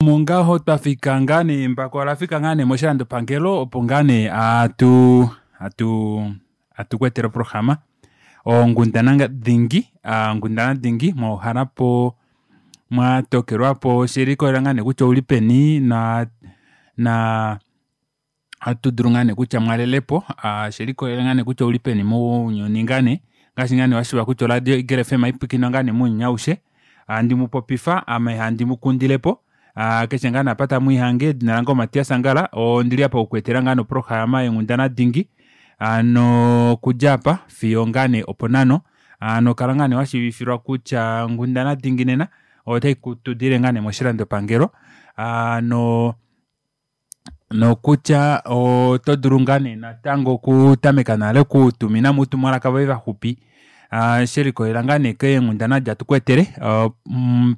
Omo ngaho twafika ngaa nee embako olafika ngaa nee moshilandopangelo opo ngaa nee hatu hatu hatu kweetele oprograma onghundana dingi onghundana dingi mwauhalapo mwatokelwapo shelikolela ngaa nee kutya ouli peni naa naa ohatudulu ngaa nee kutya mwalelepo shelikolela ngaa nee kutya ouli peni mounyuni ngaa nee ongaashi ngaa nee washiiva kutya oradio eagle fm ohaipwiikinwa ngaa nee mounyuni aushe handi mupopifa ame handi mukundilepo keshe ngaa nee apa tamwiihange edina lange o Matias Angala ondili aapa oku kweetela ngaa nee oprograma yeenghundana dingi hano okudja aapa fiyo ngaa nee oponhano hano kala ngaa nee washiivifilwa kutya onghundana dingi nena otaitudiilile ngaa nee moshilandopangelo hano nokutya otodulu ngaa nee natango okutameka nale okutuminamo uutumwalaka voye vaxupi shelikolela ngaa nee keenghundana edi hatu kweetele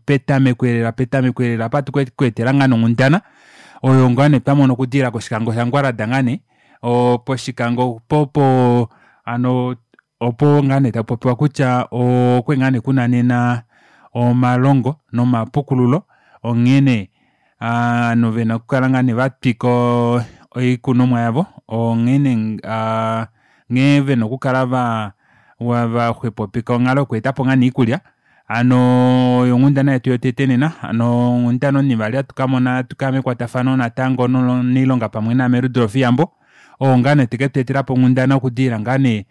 petameko elela petameko elela apa ohatu kekweetela ngaa nee onghundana oyo ngoo nee twamona okudilila koshikango sha ngwarlada ngaa nee poshikango opo hano opo ngaa nee takupopiwa kutya okwali ngaa nee kuna nena omalongo nomapukululo onghene ovanhu vena okukala ngaa nee vatwika oikunomwa yavo onghene nghee vena okukala vaxwepopeka onghalo yokweetapo ngaa nee oikulya hano oyo onghundana yetu yotete nena hano onghundana onivali ohatu kamona hatukaya mekwatafano natango nomunailonga pamwe naame Rudolf Iyambo oo ngaa nee teketweetelapo onghundana okudilila ngaa nee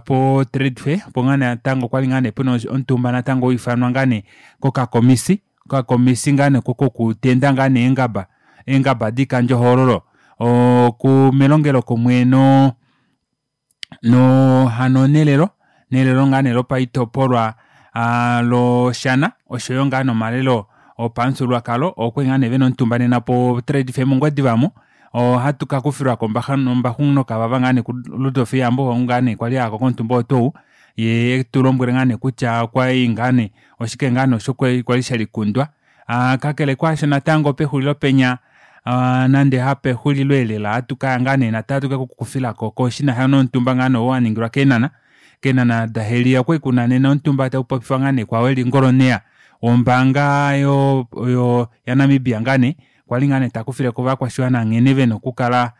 po trade fair opo ngaa nee natango kwali ngaa nee pena omutumba natango waifanwa ngaa nee kokakomisi okakomisi ngaa nee kokutenda ngaa nee eengaba eengaba doikandjohoololo melongelokumwe noo noo hano nelelo nelelo ngaa nee lopaitopolwa loshana oshoyo ngaa nee nomalelo opamufyuululwakalo okwali ngaa nee vena omutumba nena po trade fair mongwediva omu ohatu kakufilwako ombaxu nokavava ngaa nee ku rudolf iyambo oo ngaa nee kwali ayako komutumba oo tuu ou yee etulombwele ngaa nee kutya okwali ngaa nee oshike ngaa nee osho kwali shelikundwa kakele kaasho natango pexulilo penya nande hapexulilo eelela ohatukaya ngaa nee natango hatu kekukufilako shinasha nomutumba ngaa nee oo waningilwa keenhana keenhana daheliya okwali kuna nena omutumba taupopifwa ngaa nee kwao eli ngoloneya wombaanga ya namibia ngaa nee kwali ngaa nee takufileko ovakwashiwana nghene vena okukala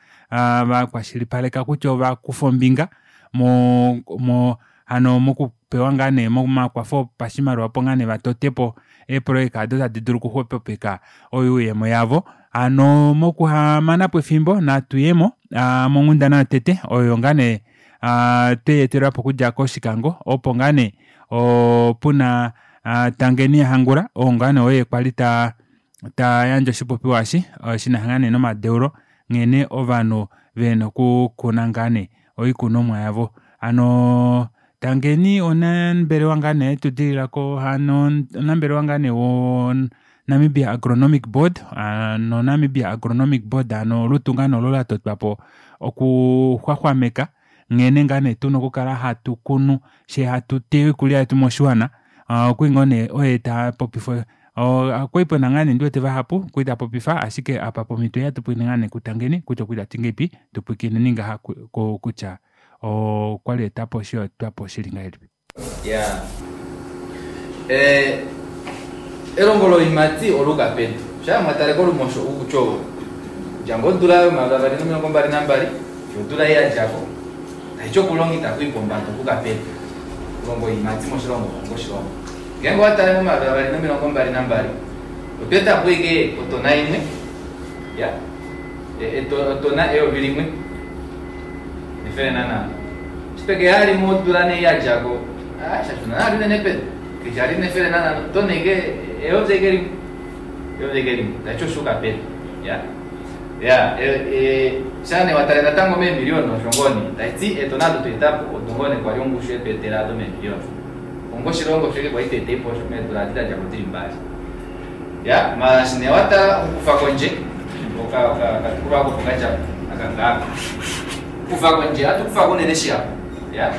vakwashilipaleka kutya ovakufa ombinga mo- mo hano mokupewa ngaa nee momakwafo opashimaliwa opo ngaa nee vatotepo eeprojeka aado tadi dulu okuxwepopeka oyuuyemo yavo hano mokuhamanapo efimbo natuyemo monghundana yotete oyo ngaa nee tweyeetelwapo okudja koshikango opo ngaa nee puna tangeni ya hangula oo ngaa nee oye kwali tayandje oshipopiwa eshi shinasha ngaa nee nomadeulo nghene ovanhu vena okukuna ngaa nee oikunomwa yavo hano tangeni omunambelewa ngaa nee etudilila hano omunambelewa ngaa nee wo namibia agronomic board hano namibia agronomic board hano olutu ngaa nee olo latotwapo okuxwaxwameka nghene ngaa nee tuna okukala hatukunu fyee hatuteya oikulya yetu moshiwana okwali ngoo nee oye tapopifa okwali pena ngaa nee ndiwete vahapu kwali taapopifa ashike apa pomito ei ohatu pwilikine ngaa nee ku tangeni kutya okwali tati ngahelipi tupwilikineni ngaha kutya okwali aetapo osheetwapo shili ngahelipi. Iyaa elongo loiimati ola yuka pedu shaa mwatale kolumosho ukutya okudja ngoo odula yomayovi avali nomilongo mbali nambali fiyo odula ei yadjako taiti okulonga ita kuyi pombada okuuka pedu okulonga oiimati moshilongo onga oshilongo ngeenge owatale momayovi avali nomilongo mbali nambali otwa etapo ashike otona imwe iya otona eyovi limwe nefele nanhano eshi twekeya vali modula nee ei yadjako aa shashuna nale unene pedu keshali nefele nanhano otona ashike eyovi ashike limwe eyovi ashike limwe taiti oshuuka pedu iyaa iyaa shaa nee watale natango meemiliyona osho ngoo nee taiti eetona odo twaetapo odo ngoo nee kwali ongushu yetweetela aado meemiliyona onga oshilongo osho ashike kwali twaetaipo osho meedula edi dadjako dili mbali Iyaa maala eshi nee watala okukufa kondje okatukulwa aako opo kadjako aka ngaaka okukufa kondje ohatu kufako unene shihapu iya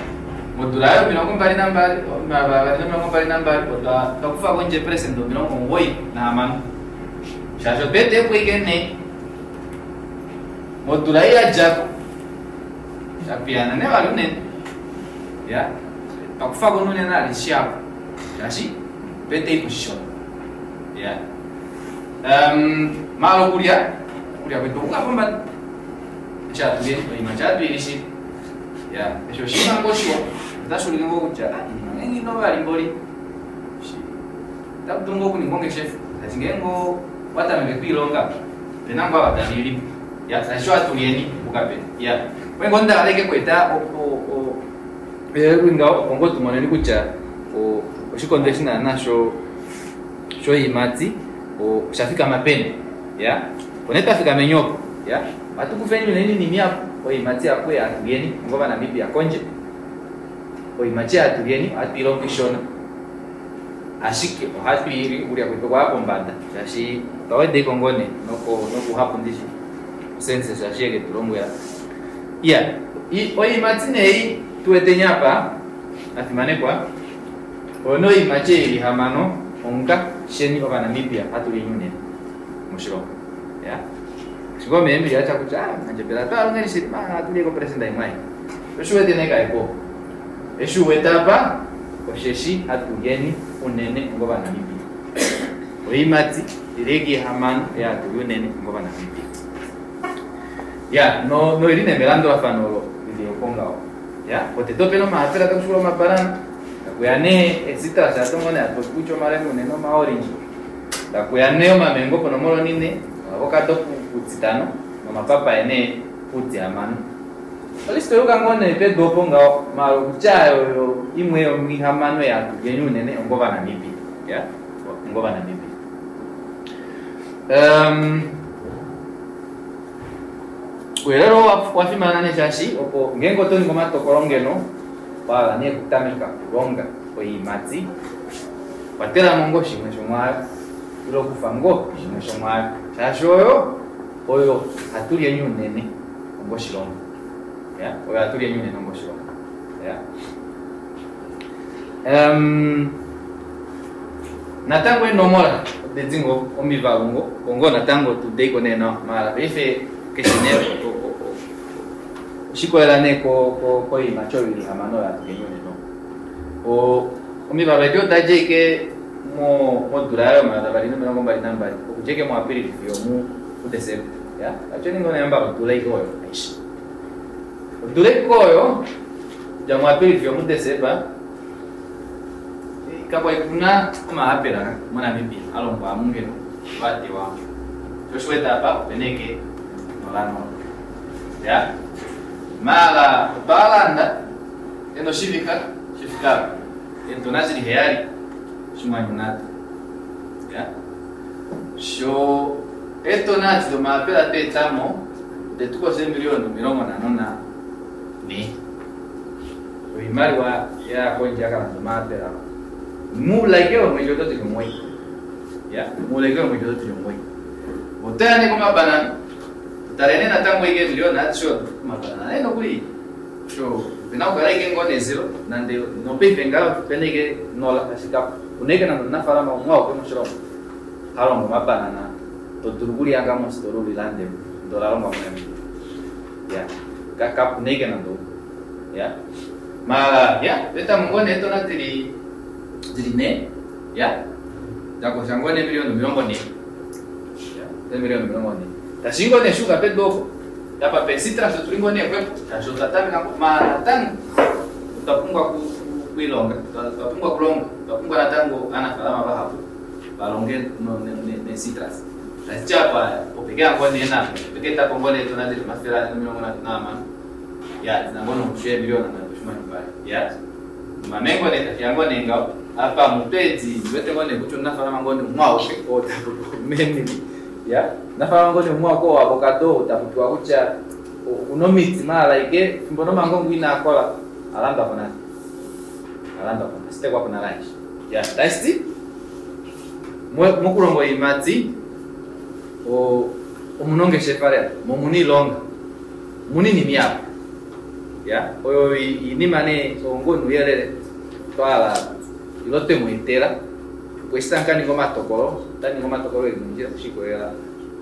modula yomilongo mbali nambali omayovi avali nomilongo mbali nambali otwa kufa kondje eeprecent omilongo omugoyi nahamano shaashi otwa eta eepo ashike nhee modula ei yadjako shapiyaana nee vali unene iya otwa kufako nee unene vali shihapu shaashi otwa eta oipo shishona. Iyaa. Maala okulya okulya kwetu okuka pombada eshi hatu lyeni oiimati ohatu ili shili ya eshi oshinima ngoo shiwa otashi ulike ngoo kutya inima ngeenge ino valimboli otaku dulu ngoo okuninga ongeshefa tati ngeenge owa tameke kwiilonga opena ngoo ava tave ilipo ya tashi ohatu lyeni okuka peni ya oye ngoo ndahala ike kweeta ngaho opo ngoo tumoneni kutya oshikondo eshi naana shoiimati osha fikama peni ya opo nee twafikameni opo ya ohatu kufeni unene inini apo oiimati apo hatu lyeni onga ovanamibia kondje oiimati hatu lyeni ohatu ilongo ishona ashike ohatu ili okulya kwetu okwaya pombada shaashi otwa weda ngoo nee nokuhapu ndishi census shaashi yeke tulombwela iya oiimati nee tuweteni apa afimanekwa oyo nee oiimati ili hamano onga sheni ovanamibia hatu lyeni unene moshilongo ya shiko meemili atya kutya mandjebele twalongeni shili hatu lye kopresenda imwe ayi osho uwete nee kaiko eshi uwete apa osheshi hatu lyeni unene onga ovanamibia oiimati ili hamano hatu li unene onga ovanamibia ya noili nee melandulafano olo lili opo ngaho ya potete opena omaapela takushikula omabanana takuya nee ecitrus atongo nee hatu popi kutya omalemune nomaorange takuya nee omamengo ponomola onine oavocado putitano nomapapaye nee putihamano olist oyuka ngoo nee pedu opo ngaho maala okutya oyo imwe yomihamano yatu lyeni unene onga ovanamibia ya onga ovanamibia ouyelele oo wafimana nee shaashi opo ngeenge oto ningi omatokolo ngeno wahala nee okutameka okulonga oiimati kwatelamo ngoo shimwe shomwaayo ile okufa ngoo shimwe shomwaayo shaashi oyo oyo hatu lyeni unene onga oshilongo ya oyo hatu lyeni unene onga oshilongo ya natango eenomola odedi ngoo omivalu ngoo ongo natango tudeiko nee nawa maala paife keshe nee oshikolela nee koiimati oyo ili hamano oyo hatu lyeni unene omivalu edi odadja ike modula yo2022 okudja ike muAprili fiyo muDesemba ya atyeni ngoo nee mbala odula ike oyo aishe odula ike oyo okudja muAprili fiyo muDesemba kakwali kuna omaapela moNamibia alongwa amungeno vatewa oshiwete apa opena ike nolanola ya maala otwalanda eno shivika shifika eetona zili 7 shimwanyu ya sho eetona adi domaapela tweetamo odetukosa eemiliyona 54 oimaliwa yakondje yakalanda omaapela muulaike womwedi oto tili 9 ya muulaike womwedi oto tili 9 otoya nee komabanana tutalene natango ike emiliyona adishe odo omabanana nee nokuli sho opena okukala ike ngoo nezero nande nopaife ngaho opena ike nola ashike una ike nande omunafaalama umwe auke moshilongo halongo omabanana to dulu okulihanga mositola ulilande ndee ola longwa moNamibia ya kapuna ike nande umwe ya maala ya toetamo ngoo nee eetona dili 4 ya dakosha ngoo nee emiliyona 40 ya emiliyona 40 tashi ngoo nee shuka pedu opo apa pecitrus otuli ngoo nee xwepo shaashi otwa tameka maala natango otwa pumbwa okuilonga otwa pumbwa okulonga otwa pumbwa natango aanafaalama vahapu valonge necitrus tashiti apa opekeya ngoo nee napo opekeetapo ngoo nee eetona dili 436 ya dina ngoo nongushu yeemiliyona 3.2 ya omamengo nee tashiya ngoo nee ngaho apa mutweedi ndiwete ngoo nee kutya omunafaalama ngoo nee umwe auke oo tapopiwa memili ya omunafaalama ngoo nee umwe auke oo avocado oo tapopiwa kutya okuna omiti maala ike fimbo nomangongo inaakola alandwapo nale alandwapo asitekwapo nale aishe ya tashiti mokulonga oiimati omuna ongeshefa lela mo omuna oilonga omuna oinima ihapu ya oyo iinima nee ongo nouyelele twahala ilo twemweetela opo eshi tamu kaninga omatokolo otaninga omatokolo eli mondjila shikolela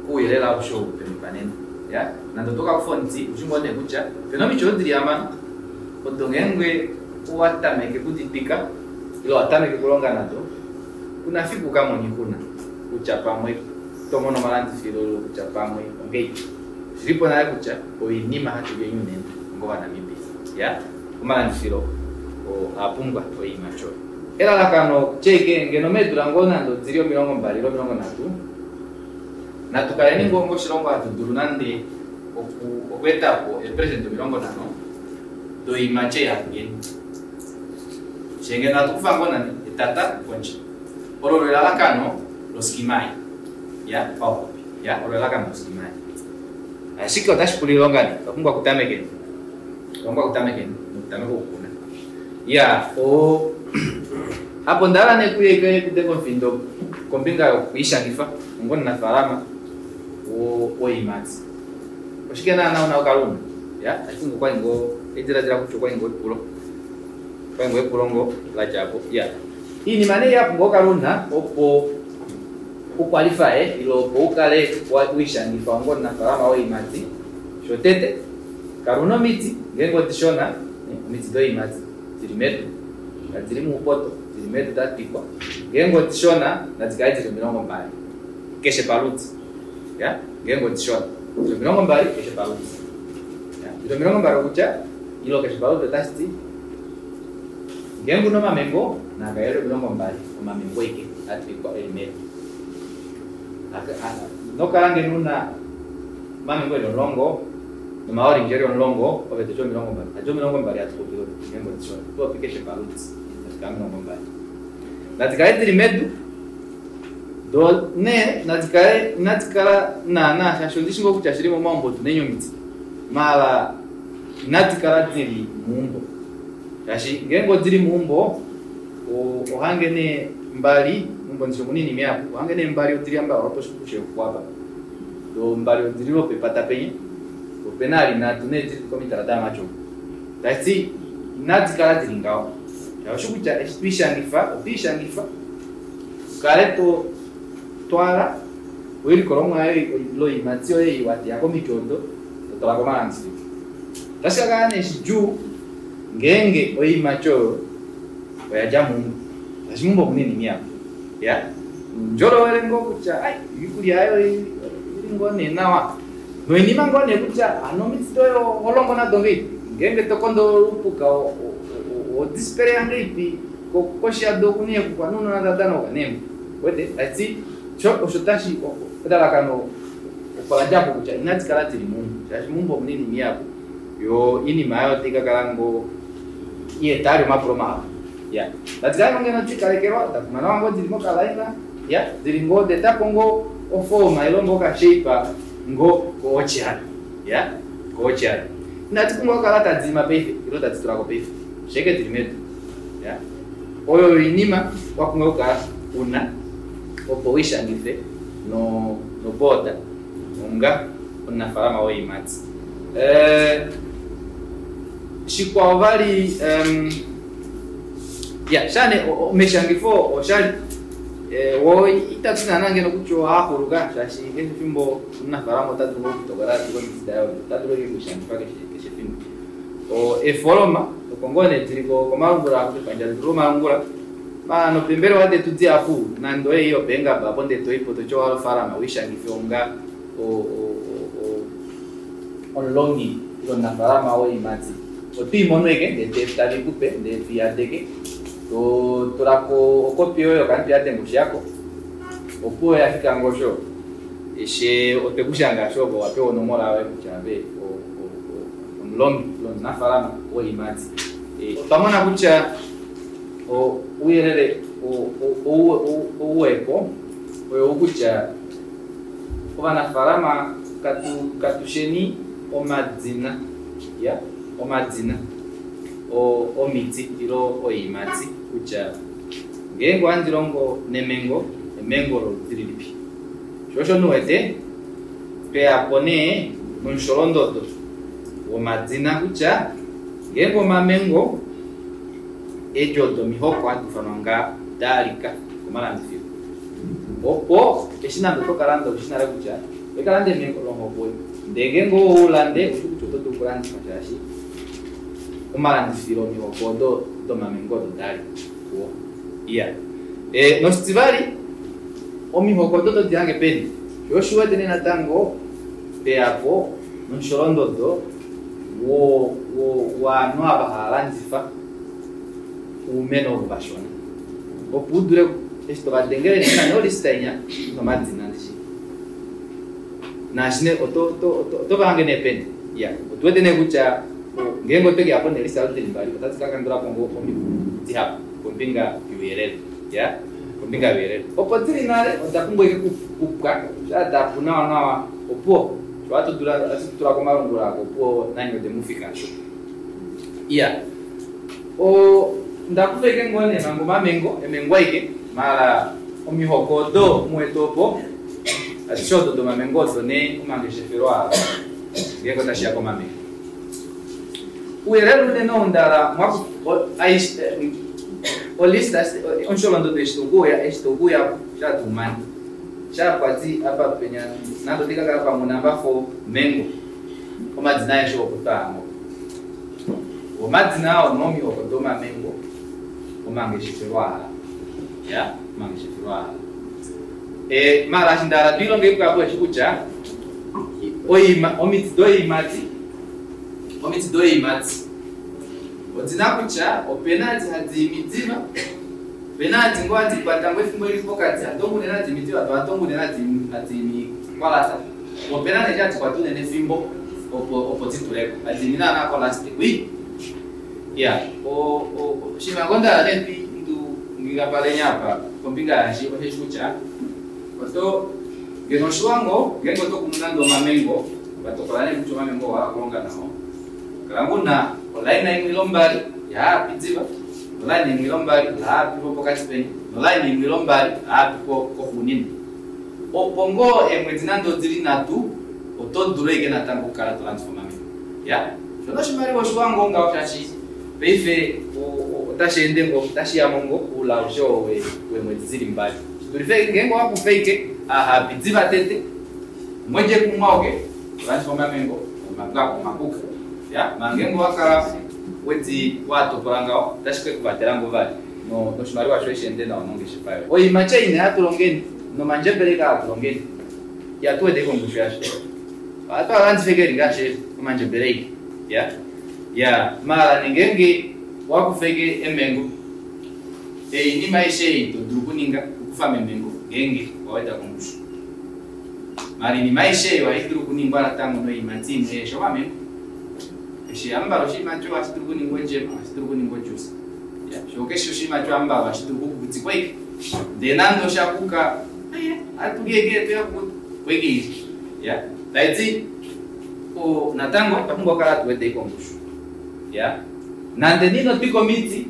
kouyelele aushe ou twemupa nena ya nande oto kakufa omuti ushi ngoo nee kutya opena omiti odo dili hamano odo ngeenge owa tameke okuditwika ile owa tameke okulonga nado kuna fiku ukamone oixuna kutya pamwe to mono omalandifilo kutya pamwe ongei. Oshilipo nale kutya oinima hatu li unene ngovanamibia. Ya, omalandifilo oa pumbwa oiimati oyo. Elalakano tyeke ngeno meedula ngoo nande odili 20 ile 30, natu kaleni ngoo ngoshilongo hatu dulu nande okweeta po eepresent 50 doiimati ei hatu lyeni. Shee ngeno hatu kufa ngoo nande etata kondje. Olo olo elalakano loskima ei. Ya, pauxupi. Ya, olo elalakano loskima ei. Ashike otashi pula oilonga nee. Otwa pumbwa okutamekeni. Otwa pumbwa okutamekeni nokutameka okukuna. Ya, o apo onda hala nee kuye kudenga omufindo kombinga yokwiishangifa onga omunafaalama woiimati. Oshike naana una okukala una? Ya, I think okwali ngoo ediladila kutya okwali ngoo epulo. Okwali ngoo epulo ngoo la dja po. Ya. Iinima nee ya pumbwa okukala una opo ukwalifaye ile opo ukale wiishangifa onga omunafaalama woiimati. Shotete, kala una omiti ngeenge odishona, omiti doiimati dili medu, kadili muupoto, dili medu da twikwa. Ngeenge odishona nadi kale dili 20 keshe paludi. Ya, ngeenge odishona dili 20 keshe paludi. Ya, dili 20 okutya ilo keshe paludi otashi ti ngeenge una omamengo naa kale 20 omamengo aike a twikwa eli medu. Inokala ngeno una omamengo eli 10 nomaorange eli 10 ove toti 20. Adi 20 hatu popi ngeenge odishona, oto popi keshe paludi nadi kale 20. Nadi kale dili medu do nee nadi kale inadi kala naana shaashi ondishi ngoo kutya shili momaumbo otu neni omiti maala inadi kala dili meumbo shaashi ngeenge odili meumbo ohange nee mbali meumbo ndishi omuna iinima ihapu ohange nee mbali odili amba lwoposhikushe apa do mbali odili lwopepata penya opena ali nhatu nee dili komitala damatyo. Tashiti inadi kala dili ngaho. Oshi kutya eshi twiishangifa otwiishangifa ukale to twala oilikolomwa yoye loiimati yoye ei wateya komiti odo to twala komalandifilo. Otashi ka kala nee shidjuu ngeenge oiimati oyo oya dja meumbo. Shaashi meumbo omuna iinima ihapu. Ya, ndjolowele ngoo kutya ai oikulya oyo ili ngoo nee nawa. Noinima ngoo nee kutya hano omiti doye oho longo nado ngeipi. Ngeenge to kondo olupuka odispereya ngeipi koshi yado okuna eexuxwa nounona tava danauka neembwa. Wete tashiti osho tashi elalakano opo la djapo kutya inadi kala dili meumbo shaashi meumbo omuna iinima ihapu yo iinima oyo otai ka kala ngoo ieta ali omapulo mahapu. Ya, nadi kale ngoo ngeno diikalekelwa da nawa ngoo dili mokalaina. Ya, dili ngoo daetapo ngoo ofooma ile ngoo okashape ngoo kootyali. Ya, kootyali. Inadi pumbwa okukala tadi ima paife ile tadi tulako paife. Sheke dili medu. Ya, oyo oinima wa pumbwa okukala una opo wiishangife noboda onga omunafaalama woiimati. Shikwao vali ya shane omeshangifo oshali wo itatu naana ngeno kutya ohaxuluka shaashi keshe efimbo omunafaalama ota dulu okutokola atule omiti daye ota dulu okwiishangifa keshe efimbo. Eefoloma oko ngoo nee dili komalungula kepandja letu lomalungula nopembelewa detu dihapu nande oye yopeengaba apo ndee toipo toti owahala ofaalama wiishangife onga omulongi ile omunafaalama woiimati. Otwiimono eke ndee tavi kupe ndee toiyadeke to tulako okopi yoye yokantu yadenga oshihako opuwo yafika ngosho eshe otwekushanga sho opo wapewa onomola yoye kutya ove omulongi ile omunafaalama woiimati. Otwa mona kutya ouyelele ouwepo oyo kutya ovanafaalama katusheni omadina ya omadina omiti ile oiimati kutya ngeenge ohandi longo nemengo emengo loludi lilipi. Sho osho nuwete tweyapo nee nomusholondodo womadina kutya ngeenge omamengo eedjo domihoko hadi ifanwa nga daalika komalandifilo opo eshi nande oto kalanda oushi nale kutya oikalanda emengo lomuhoko oyo ndee ngeenge oulande oushi kutya oto dulu okulandifa shaashi omalandifilo omihoko odo domamengo odo dali kuwo. Iya, noshitivali omihoko odo todi hange peni Sho osho u wete nee natango peyapo nomusholondodo wovanhu ava hava landifa oumeno ovo vashona opo u dule eshi tovadengele nee nani olista inya nomadina ndishi naashi nee oto vahange nee peni iya otu wete nee kutya ngeenge otwe keyapo neelista odo dili mbali otadi ka kandulapo ngoo omikundu dihapu kombinga youyelele ya kombinga youyelele opo dili nale oda pumbwa ashike kupwa shaa dapu nawa nawa opuwo sho hatu tula komalungula ako opuwo nanye odemufika asho iya ndakufa ashike ngoo nee manga omamengo emengo aike maala omihoko odo muwete opo adishe odo domamengo odo nee omangeshefelo aa ngeenge otashiya komamengo ouyelele unene ou ndala olista omusholondodo eshi taukuuya eshi taukuuya shatumane shapwati apa penya nande otikakala pamwe namba 4 mengo omadina aeshe opo twaango omadina ao nomihoko domamengo omangeshefelo aa ya omangeshefelo aa maala eshi ndahala twiilonge ikwapo eshi kutya omiti doiimati omiti doiimati odina kutya opena adi hadi imi diva opena adi ngoo hadi kwata ngoo efimbo lili pokati hado unene hadi imi diva do hado unene hadi imi kwalata opena nee hadi kwata unene efimbo opo dituleko hadi imi naana kolast wi ya oshinima ngoo ndahala nee ngingapalenya apa kombinga yashi osheshi kutya oto ngeno oshiwango ngeenge oto kunu nande omamengo vatokola nee kutya omamengo owa kulonga nao kala nguna olaina imwe ilo mbali yaapi diva nolaina imwe ilo mbali laapi pokati peni nolaina imwe ilo mbali laapi koxuunina opo ngoo eemwedi nande odili nhatu oto dulu ashike natango okukala to landifa omamengo ya shono oshimaliwa oshiwango ngaho shaashi paife otashi ende ngo otashi yamo ngo oula aushe oo weemwedi dili mbali shidulife ngeenge owakufa ashike ahapi diva tete mwedje kumwauke tolandifa omamengo omakuka ya manga owakala wedi watokola ngaho otashi ke kuvatela ngoo vali noshimaliwa shoye sheende nawa mongeshefa yoye oiimati ei hatu longeni nomandjebele kaa hatu longeni ihatu wete kongushu yasho ohatu alandife keli ngaashi omandjebele ei ya ya maala ngeenge wakufa eke emengo oinima aishe ei to dulu okuninga okukufa memengo ngeenge waweda kongushu maala oinima aishe ei ohai dulu okuningwa natango noiimati imwe eshi omamengo eshi ambala oshiimati ohashi dulu okuningwa ojema ohashi dulu okuningwa ojuice sho keshe oshiimati ambala ohashi dulu okukukutikwa ike ndee nande oshakuka atulieke tuyakukuta kweke ya taiti natango otwa pumbwa okukala hatu weda kongushu ya nande nino twika omiti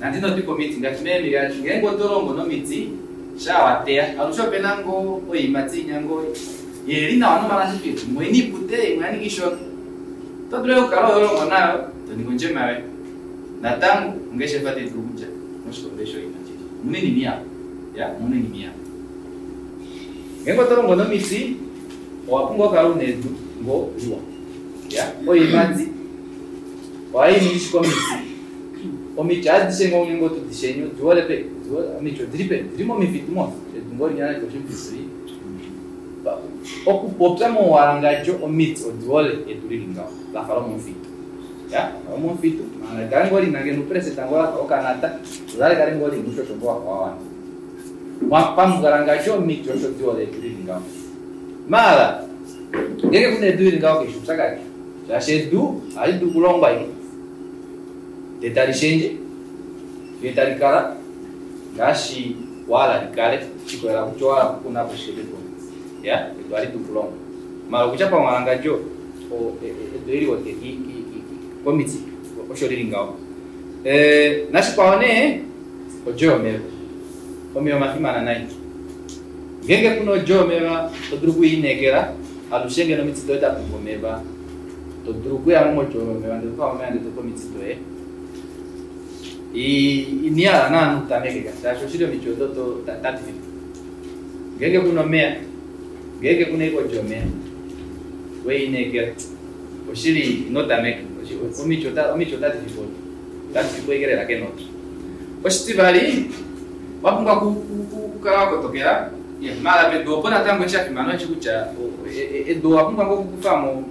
nande ino twika omiti ngaashi meemili ngeenge oto longo nomiti shaa wateya alushe opena ngoo oiimati inya ngoo yeli nawa nomalandifilo imwe ina ipute imwe yaninga ishona oto dulu okukala holongo nayo to ningi ondjema yoye natango ongeshefa tayi dulu okudja moshikondo eshi oiimati omuna oinima ihapu ya omuna oinima ihapu ngeenge oto longo nomiti owa pumbwa okukala una edu ngoo liwa ya oiimati ohai ningi shike omiti omiti adishe ngoo ngeenge oto dishenye odi hole peni omiti odili peni odili momifitu mos edu ngoo linya nande oshimufitu okupopya mouwalangadjo omiti odi hole edu lili ngaho lafa lomomufitu ya lomomufitu manga likale ngoo lina ngeno upresenta ngoo lafa okanata lo likale ngoo lina uushosho ngoo wafa wawana pamuwalangadjo omiti osho di hole edu lili ngaho maala ngeenge kuna edu lili ngaho keshe oupyakadi shaashi edu ohali dulu okulongwa ike ndee tali shendje ndee tali kala ngaashi wahala likale shikolela kutya owahala okukunapo shike pedu ya edu ohali dulu okulongwa maala okutya pamuwalangadjo edu eli wote komiti osho lili ngaho nashikwao nee odjo yomeva omeva omafimana nai ngeenge kuna odjo yomeva to dulu okwiinekela alushe ngeno omiti doye da pumbwa omeva to dulu okuyamo modjo yomeva ndele tokufa omeva ndele tope omiti doye inihala naana utameke shaashi oshili omiti odo tadi fipo ngeenge kuna omeya ngeenge kuna ike odjo yomeva weiinekela oshili ino tameka omiti otadi fipo otadi fipo ike lela kenota oshitivali wapumbwa okukala wakotokela Maala pedu opo natango eshi shafimana osheshi kutya edu owa pumbwa ngoo okukufamo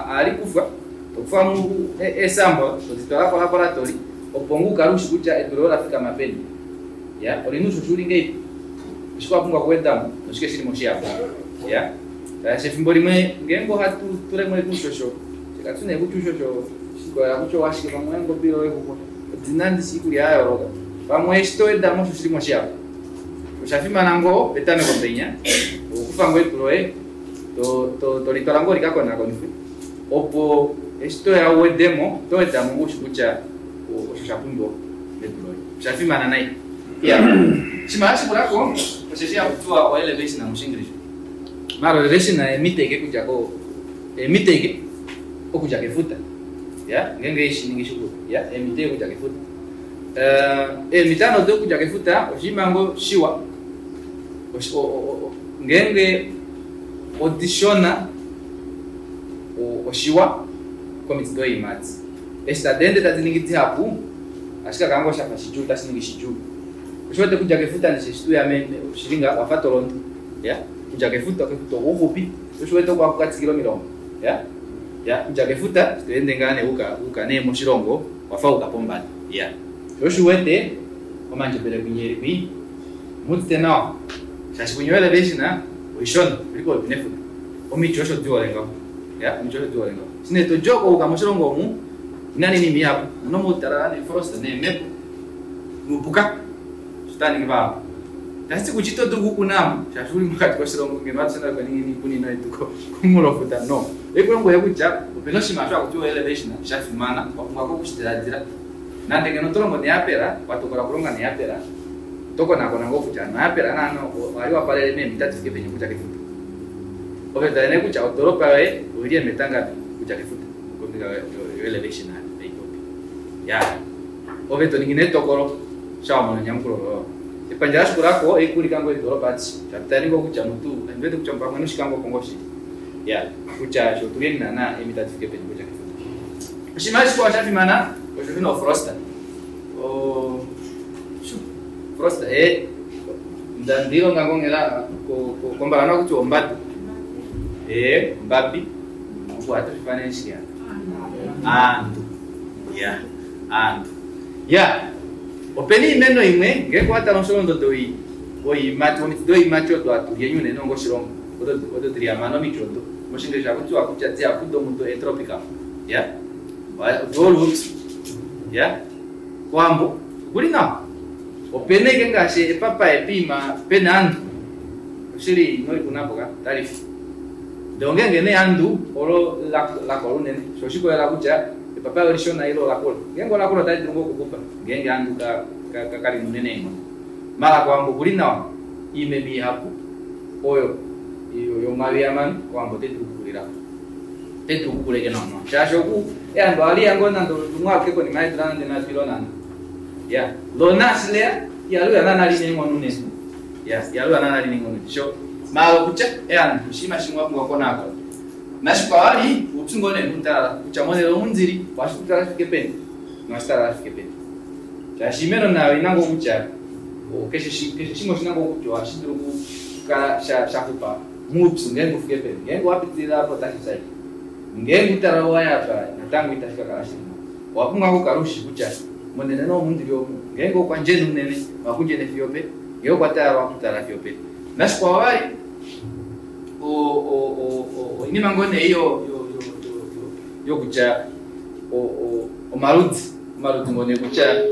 ohali kufwa tokufamo eesample toditwala kolaboratory opo ngoo ukale ushi kutya edu loye olafikama peni. Ya olina oushosho uli ngahelipi, oshike wapumbwa okuwedamo noshike shilimo shihapu. Ya shaashi efimbo limwe ngeenge ohatu tulemo ashike oushosho katu nee kutya oushosho shikolela kutya owashike pamwe oweengobe ile oweexuxwa odina ndishi oikulya yayooloka pamwe eshi towedamo osho shilimo shihapu. Oshafimana ngoo petameko penya okukufa ngoo edu loye tolitwala ngoo likakonakonifwe opo eshi toya uwedemo oto wedamo ngoo ushi kutya osho shapumbiwa medu loye. Oshafimana nai. Iya oshinima shashikulako osheshi hakutiwa o elevation moshingilisha. Maala elevation eemita ashike okudja ko eemita ashike okudja kefuta. Ya ngeenge haishiningi shikulu. Ya eemita ashike okudja kefuta. Eemita nee odo okudja kefuta oshinima ngoo shiwa ngeenge odishona oshiwa komiti doiimati. Eshi tadi ende tadi ningi dihapu ohashi kakala ngoo shafa shidjuu otashi ningi shidjuu. Oshiwete okudja kefuta ndishi eshi tuya oshili ngaha owafa tolondo. Ya okudja kefuta kefuta okuxupi sho oshiwete oko haku katikila omilonga. Ya ya okudja kefuta eshi toende ngaa nee uka nee moshilongo wafa uka pombada. Ya sho oshiwete omandjebele kwinya eli kwii omuudite nawa shaashi kwinya elevation oishona oili popepi nefuta. Omiti osho dihole ngaho. Ya omiti osho dihole ngaho. Eshi nee todi oko uka moshilongo omu omuna nee oinima ihapu. Omuna omautalala neefrost neemhepo noupuka osho tava ningi vahapu. Itashiti kutya ito dulu okukunamo shaashi uli mokati koshilongo ngeno atushe nale twa ningi oikunino yetu komunghulofuta no. Ohaikulombwele kutya opena oshinima osho hakutiwa elevation shafimana wapumbwa okushi dilaadila. Nande ngeno oto longo neapela watokola okulonga neapela oto konakona ngoo kutya hano eapela naana ohali wapalele meemita difike peni okudja kefuta. Ove tale nee kutya odoropa yoye oili eemeta ngapi okudja kefuta kombinga yo elevation taipopi. Ya ove toningi nee etokolo sha wamona enyamukulo loye olo. Epandja lashikulako oikuulika ngoo eedoropa adishe shaashi tali ngoo kutya mutu ondiwete kutya pamwe noshikango opo ngoo shili. Ya kutya sho otuli naana eemita difike peni okudja kefuta. Oshinima shikwao shafimana osho shina ofrosta. Frosta ndandiilonga ngoo onghela kombalana ohakutiwa ombabi. Ombabi opo ohatu shiifana shike aantu. Ya aantu. Ya opena oimeno imwe ngeenge owatale omusholondodo woiimati womiti doiimati odo hatu lyeni unene onga oshilongo odo dili hamano omiti odo moshingilisha ohakutiwa kutya dihapu domudo eetropical. Ya odi olupyu. Ya kowambo okuli nawa. Opena ashike ngaashi epapaye poima pena eandu oshili inolikunapo ka otalifi. Ndee ongenge nee eandu olo lakola unene shoo oshikolela kutya epapaye olishona ile olakula. Ngeenge olakula otali dulu ngoo okuxupa ngeenge eandu kalina unene eenghono. Maala kowambo okuli nawa oimeno ihapu oyo yomawi hamano kowambo otai dulu okukulilako. Otai dulu okukula ashike nawa nawa shaashi oku eandu ohaliya ngoo nande lumwe aluke konima yeedula nande nhatu ile nhano. Ya lona eshi leya ihali uya naana lina eenghono unene. Ya ihali uya naana lina eenghono unene. Sho maala okutya eandu oshinima shimwe wapumbwa okukonakona. Nashikwao vali oupyu ngoo nee noutalala kutya monhele omu ndili ohashi pupyala shifike peni nohashi talala shifike peni. Shaashi oimeno nayo oina ngoo kutya keshe shimwe oshina ngoo kutya ohashi dulu okukala shaxupa moupyu ngeenge ufike peni. Ngeenge owapitilila apo otashi fya ashike. Ngeenge outalala owaya apa natango itashi kakala shili nawa. Owapumbwa okukala ushi kutya monhele nee omu ndili omu ngeenge okwa ndjena unene ohaku ndjene fiyo openi, ngee okwa talala ohaku talala fiyo openi. Nashikwao vali oinima ngoo nee yokutya omaludi omaludi ngoo nee kutya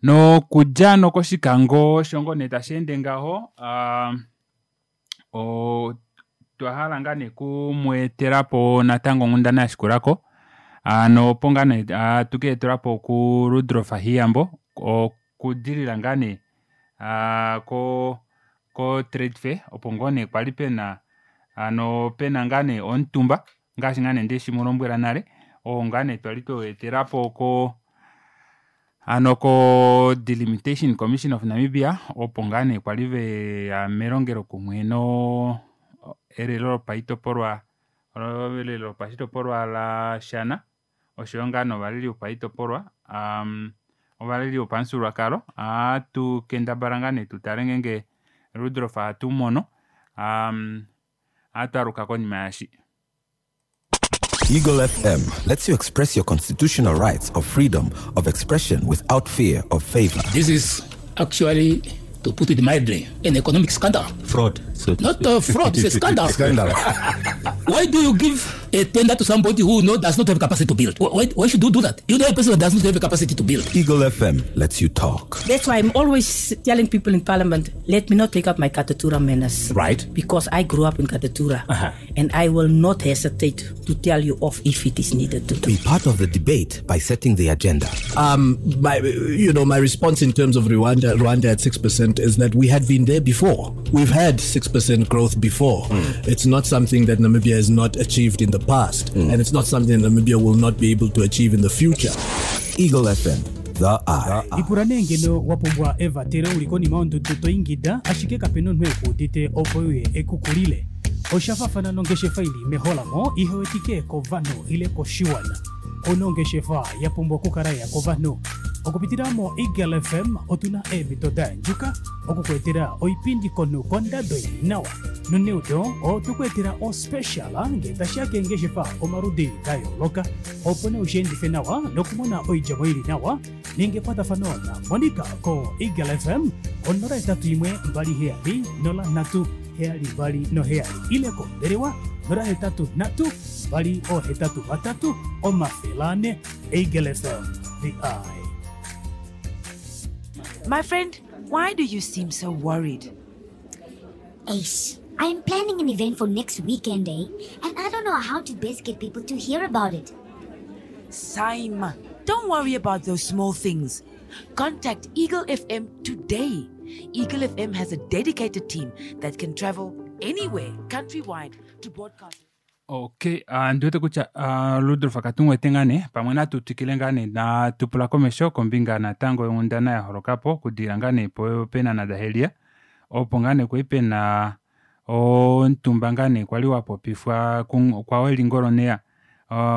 Nokudja hano koshikango osho ngoo nee tasheende ngaho otwa hala ngaa nee okumweetelapo natango onghundana yashikulako hano opo ngaa nee hatu keetelapo ku Rudolf Hiyambo okudilila ngaa nee ko trade fair opo ngoo nee kwali pena hano pena ngaa nee omutumba ngaashi ngaa nee ndeshimulombwela nale oo ngaa nee twali tweweetelapo ko hano ko Delimitation Commission of Namibia opo ngaa nee kwali veya melongelo kumwe no elelo lopaitopolwa elelo lopashitopolwa lashana oshoyo ngaa novaleli vopaitopolwa. Ovaleli vopamufyuululwakalo ohatu kendabala ngoo nee tutale ngenge Rudolf ohatumumono aa ohatwaaluka konima yaashi. Eagle FM lets you express your constitutional rights of freedom of expression without fear of favor. This is actually, to put it mildly, an economic scandal. Fraud. So to Not speak. a fraud, it's a scandal. Scandal. Why do you give a tender to somebody who does not have capacity to build? Why should you do that? You know a person that does not have capacity to build. Eagle FM lets you talk. That's why I'm always telling people in Parliament, let me not take up my Katutura manners. Right. Because I grew up in Katutura. And I will not hesitate to tell you off if it is needed to do. Be part of the debate by setting the agenda. My response in terms of Rwanda at 6% is that we had been there before. We've had 6% growth before. It's not something that Namibia has not achieved in the past, and it's not something that Namibia will not be able to achieve in the future. Eagle FM, the eye. Ipula nee ngeno wa pumbwa evatelo uli konima yondudu to ingida ashike kapena omunhu ekuudite opo uye ekukulile. Osha fafana nongeshefa ili meholamo ihewetike kovanhu ile koshiwana. Ono ongeshefa ya pumbwa okukala ya kovanhu. Okupitila mo Eagle FM otuna eemhito da yandjuka okukuetela oipindi komunhu kondado ili nawa. Noneudo otukuetela ospecial ngee tashiya keengeshefa omaludi da yooloka opo nee ushiendife nawa nokumona oidjemo ili nawa ninga ekwatafano na Monica ko Eagle FM 081 27 03 72 7 ile kombelewa 083 283 400. Eagle FM, the eye. My friend, why do you seem so worried? Ace, I am planning an event for next weekend, eh? And I don't know how to best get people to hear about it. Saima, don't worry about those small things. Contact Eagle FM today. Eagle FM has a dedicated team that can travel anywhere countrywide to broadcast. Okay, ndiwete kutya Rudolf katu ngaa nee pamwe natu twikile ngaa nee natupula komesho kombinga natango yonghundana yaholokapo okudilila ngaa nee peenhana daHelia opo ngaa nee kwali pena omutumba ngaa nee kwali wapopifwa kwaweli ngoloneya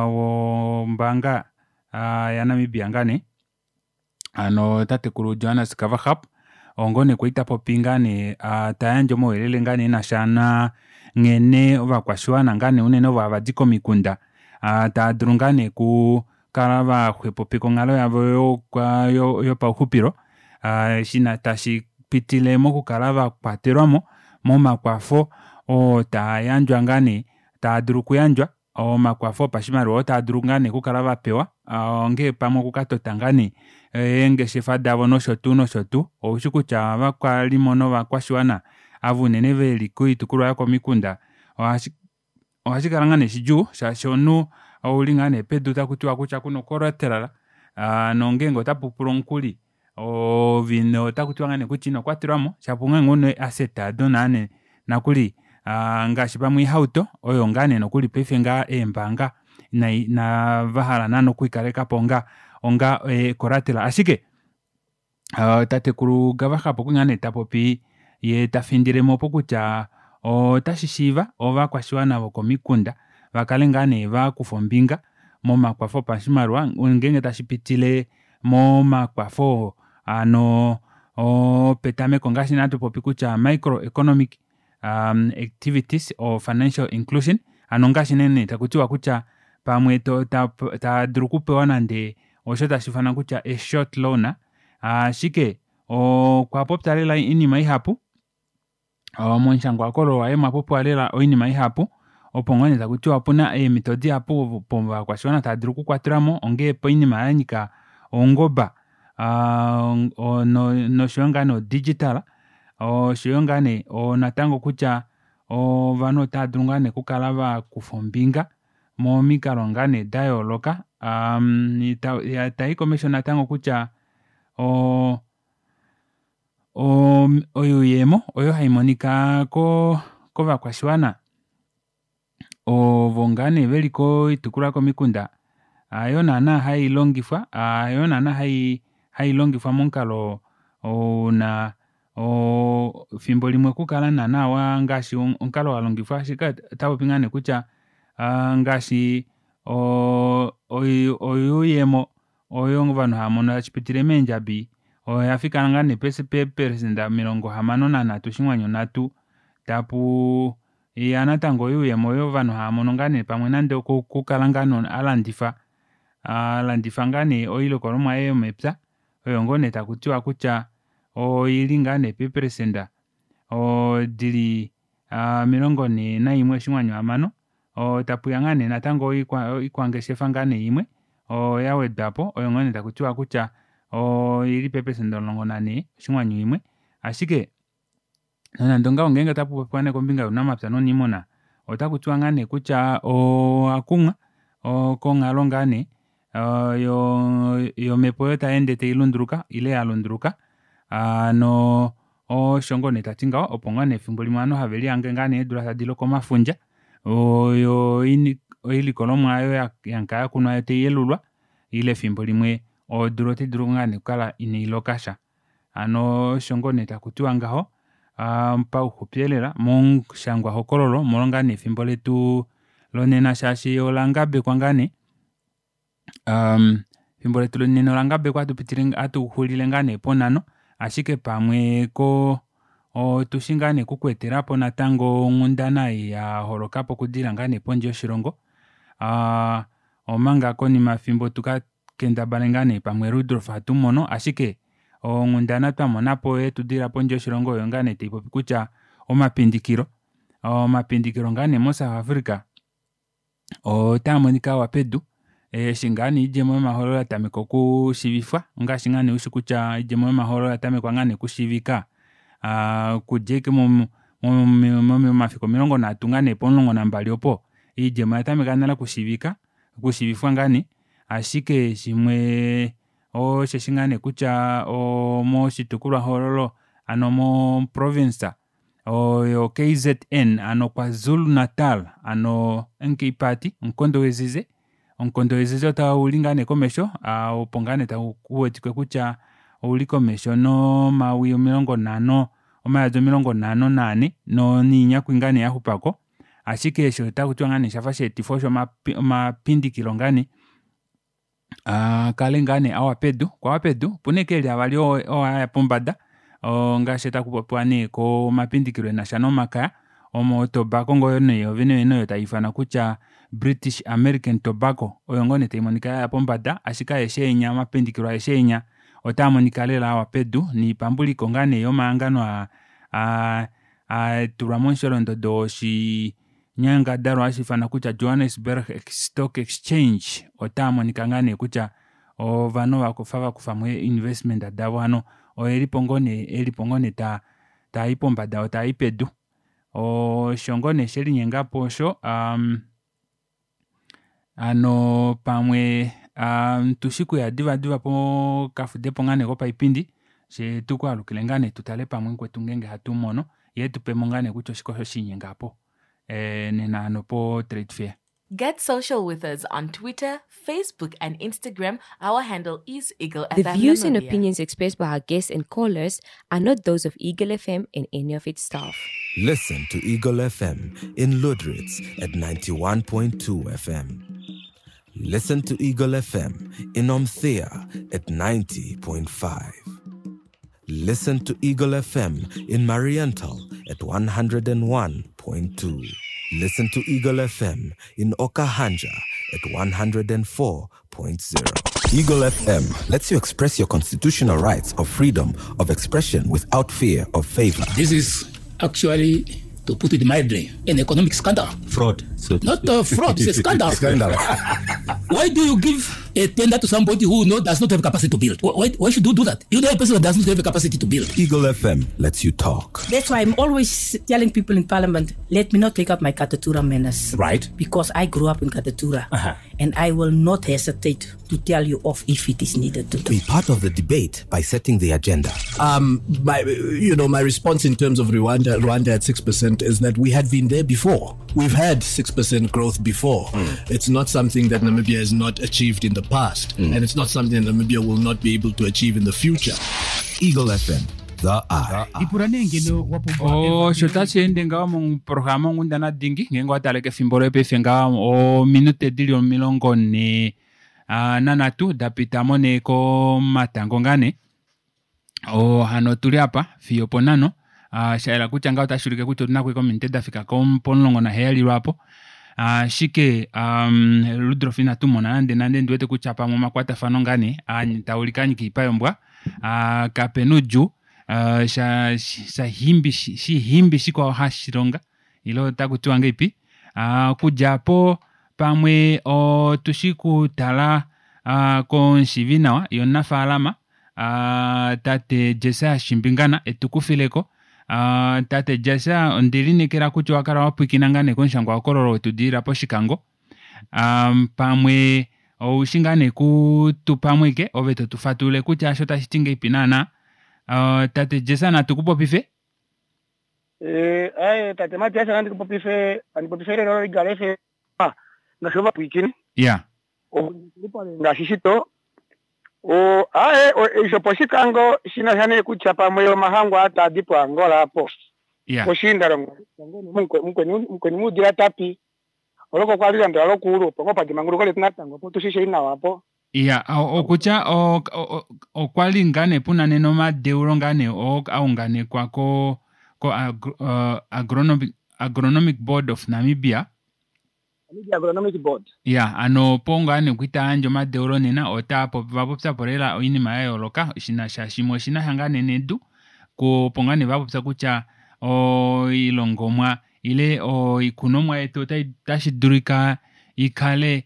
wombaanga yaNamibia ngaa nee hano tatekulu Johannes Gawaxab oo ngoo nee kwali tapopi ngaa nee tayandje omauyelele ngaa nee enasha nanghene ovakwashiwana ngaa nee unene ovo havadi komikunda taadulu ngaa nee okukala vaxwepopeka onghalo yavo yopauxupilo eshi tashipitile mokukala vakwatelwamo momakwafo oo taayandjwa ngaa nee taadulu okuyandjwa omakwafo opashimaliwa oo taadulu ngaa nee okukala vapewa ongee pamwe okukatota ngaa nee eengeshefa davo noshotuu noshotuu oushi kutya ovakalimo novakwashiwana ava unene veli koitukulwa yokomikunda ohashikala ngaa nee shidjuu shaashi omunhu ouli ngaa nee pedu takutiwa kutya kuna collateral nongenge otapupulwa omukuli ove otakutiwa ngaa nee kutya inokwatelwamo shapo ongenge una ee asset aado nokuli ngaashi pamwe oihauto oyo ngaa nee nokuli paife ngaha eembanga inavahala naana okwiikalekapo onga onga collateral ashike tatekulu Gawaxab okwali ngaa nee tapopi yee tafindilemo opo kutya otashishiiva ovakwashiwana vokomikunda vakale ngaa nee vakufa ombinga momakwafo opashimaliwa ngenge tashipitile momakwafo hano opetameko ngaashi nee hatupopi kutya micro economic activities or financial inclusion hano ongaashi nee takutiwa kutya pamwe taadulu okupewa nande osho tashiifanwa kutya a short loan ashike okwapopya lela oinima ihapu momushangwa waye omwapopiwa lela oinima ihapu opo ngoo nee takutiwa opuna eemito dihapu opo ovakwashiwana tava dulu okukwatelwamo ongee poinima yanyika oungoba noshoyo ngaa nee o digital oshoyo ngaa nee natango kutya ovanhu otaadulu ngaa nee okukala vakufa ombinga momikalo ngaa nee dayooloka tayi komesho natango kutya oo oyuuyemo oyo haimonika kovakwashiwana ovo ngaa nee veli koitukulwa yokomikunda hayo naana hailongifwa hayo naana hailongifwa momukalo una efimbo limwe okukala naana ngaashi omukalo walongifwa ashike otapopi ngaa nee kutya ngaashi oyuuyemo. Oyo ovanhu hava mono tashi pitile meendjabi oya fika ngaa nee peeperesenda 63.3 tapu ya natango oyuuyemo oyo ovanhu hava mono ngaa nee pamwe nande okukala ngaa nee alandifa alandifa ngaa nee oilikolomwa yaye yomepya oyo ngoo nee takutiwa kutya oili ngaa nee peeperesenda dili 41.6 tapuya ngaa nee natango oikwangeshefa ngaa nee imwe oyo yawedwapo oyo ngoo nee takutiwa kutya oili peeperesenda 14.1 ashike nonande ongaho ngenge otakupopiwa nee kombinga younamapya nouniimuna otakutiwa ngaa nee kutya owakumwa konghalo ngaa nee yomepo oyo tayeende tailunduluka ile yalunduluka hano osho ngoo nee tati ngaho opo ngoo nee efimbo limwe ovanhu havelihange ngoo nee eedula tadi loko omafundja yoo oilikolomwa aayo yakala yakunwa taiyelulwa ile efimbo limwe odula otaidulu ngoo nee okukala ina ilokasha hano osho ngoo nee takutiwa ngaho pauxupi elela momushangwa hokololo omolwo ngaa nee efimbo letu lonena shaashi olangabekwa ngaa nee efimbo letu lonena olangabekwa ohatuxulile ngoo nee ponhano ashike pamwe koo otushi ngaa nee okukweetelapo natango onghundana ei yaholokapo okudilila ngaa nee pondje yoshilongo aa omanga konima yefimbo tuka kendabale ngaa nee pamwe rudolf hatumono ashike onghundana twamonapo yetudilila pondje yoshilongo oyo ngaa nee taipopi kutya omapindikilo omapindikilo ngaa nee mo south africa otaamonika awa pedu eshi ngaa nee oidjemo yomahoololo yatameka okushiivifwa ongaashi ngaa nee ushi kutya oidjemo yomahoololo oyatamekwa ngaa nee okushiivika okudja ashike momafiku 30 ngaa nee pomulongo nambali opo oidjemo oyatameka nale okushiivika okushiivifwa ngaa nee ashike shimwe osheshi ngaa nee kutya moshitukulwa hoololo hano mo province oyo KZN hano kwazulu natal hano MK party omukondo wezize omukondo wezize ouli ngaa nee komesho opo ngaa nee uwetike kutya ouli komesho nomawi 50 omayovi 54 noinyakwi ngaa nee yaxupako ashike eshi otakutiwa ngaa nee oshafa shaetifwa osho omapindikilo ngaa nee akale ngaa nee awa pedu okwawa pedu opena ashike eli avali oo aya pombada ongaashi takupopiwa nee komapindikilo enasha nomakaya omo o tobacco ngoo nee yoovene vene oyo taiifanwa kutya british american tobacco oyo ngoo nee taimonika yaya pombada ashike aeshe enya omapindikilo aeshe enya otaamonika lela awa pedu noipambuliko ngaa nee yomahangano aa atulwa momusholondodo woshinyangadalwa hashiifanwa kutya johannesburg stock exchange otaamonika ngaa nee kutya ovanhu ovafa vakufamo ee investment davo hano oelipo ngoo nee taayi pombada oo taayi pedu osho ngoo nee shelinyengapo osho hano pamwe tushi okuya diva diva pokafudepo ngaa nee kopaipindi fyee tukwaalukile ngaa nee tutale pamwe mukwetu ngenge ohatumono yee etupemo ngaa nee kutya oshike osho shalinyenga aapo nena hano po trade fair. Get social with us on Twitter, Facebook, and Instagram. Our handle is Eagle The FM views and Namibia. opinions expressed by our guests and callers are not those of Eagle FM and any of its staff. Listen to Eagle FM in Ludritz at 91.2 FM. Listen to Eagle FM in Omthea at 90.5. Listen to Eagle FM in Mariental at 101.2. Listen to Eagle FM in Okahanja at 104.0. Eagle FM lets you express your constitutional rights of freedom of expression without fear of favor. This is actually, to put it mildly, an economic scandal. Fraud. So to Not speak. a fraud, it's a scandal. Scandal. Why do you give a tender to somebody who does not have capacity to build? Why should you do that? You know a person that does not have a capacity to build. Eagle FM lets you talk. That's why I'm always telling people in Parliament, let me not take up my Katutura manners. Right. Because I grew up in Katutura. And I will not hesitate to tell you off if it is needed to do. Be part of the debate by setting the agenda. My response in terms of Rwanda at 6% is that we had been there before. We've had 6% growth before. It's not something that Namibia has not achieved in the past, and it's not something that Namibia will not be able to achieve in the future. Eagle FM, the eye. Ipula nee ngeno wa pumbwa osho tashi ende ngaho moprograma onghundana dingi ngenge owataleke efimbo loye paife ngaho ominute dili 44 nanhatu dapita mo nee komatango ngaa nee. Hano otuli apa fiyo oponhano shayela kutya ngaho otashi ulike kutya otuna ashike ominute dafika pomulongo naheyali lwaapo. Ashike Rudolf inatu mona nande nande ndiwete kutya pamwe omakwatafano ngaa nee taulike anyika oipa yombwa. Kapena oudjuu shihimbi shikwao hashilonga ile otakutiwa ngahelipi. Okudja aapo pamwe otushi kutala komushiivinawa yee omunafalama tate Jesaya Shimbingana etukufileko. Tate Jesaya ondelineekela kutya owakala wapwiikina ngaa nee komushangwa hokololo wetudilila poshikango. Pamwe oushi ngaa nee kutupamweke ove totufatululile kutya eshi otashiti ngahelipi naana. Tate Jesaya natukupopife. Aaye tate Matias nandi kupopife handi popife elelo loEagle FM ngaashi ovapwiikini. Ya. Ngaashi shito aaye eisho poshikango shina sha nee kutya pamwe omahango aa taadi poAngola apo. Ya. Poshiindalongo mukweni muudila tapi oloko kwali landula lokuulu opo ngoo padimanguluko letu natango opo tushishei nawa apo. Ya, okutya okwa li ngaa nee puna nena omadeulo ngaa nee oo aunganekwa ko Agronomic Board of Namibia. Namibia Agronomic Board. Ya, ano opo ngaa nee kwita yandje omadeulo nena ota vapopya po lela oinima ya yooloka shinasha shimwe oshinasha ngaa nee nedu opo ngaa nee vapopya kutya oilongomwa ile oikunomwa yetu otashi dulika ikale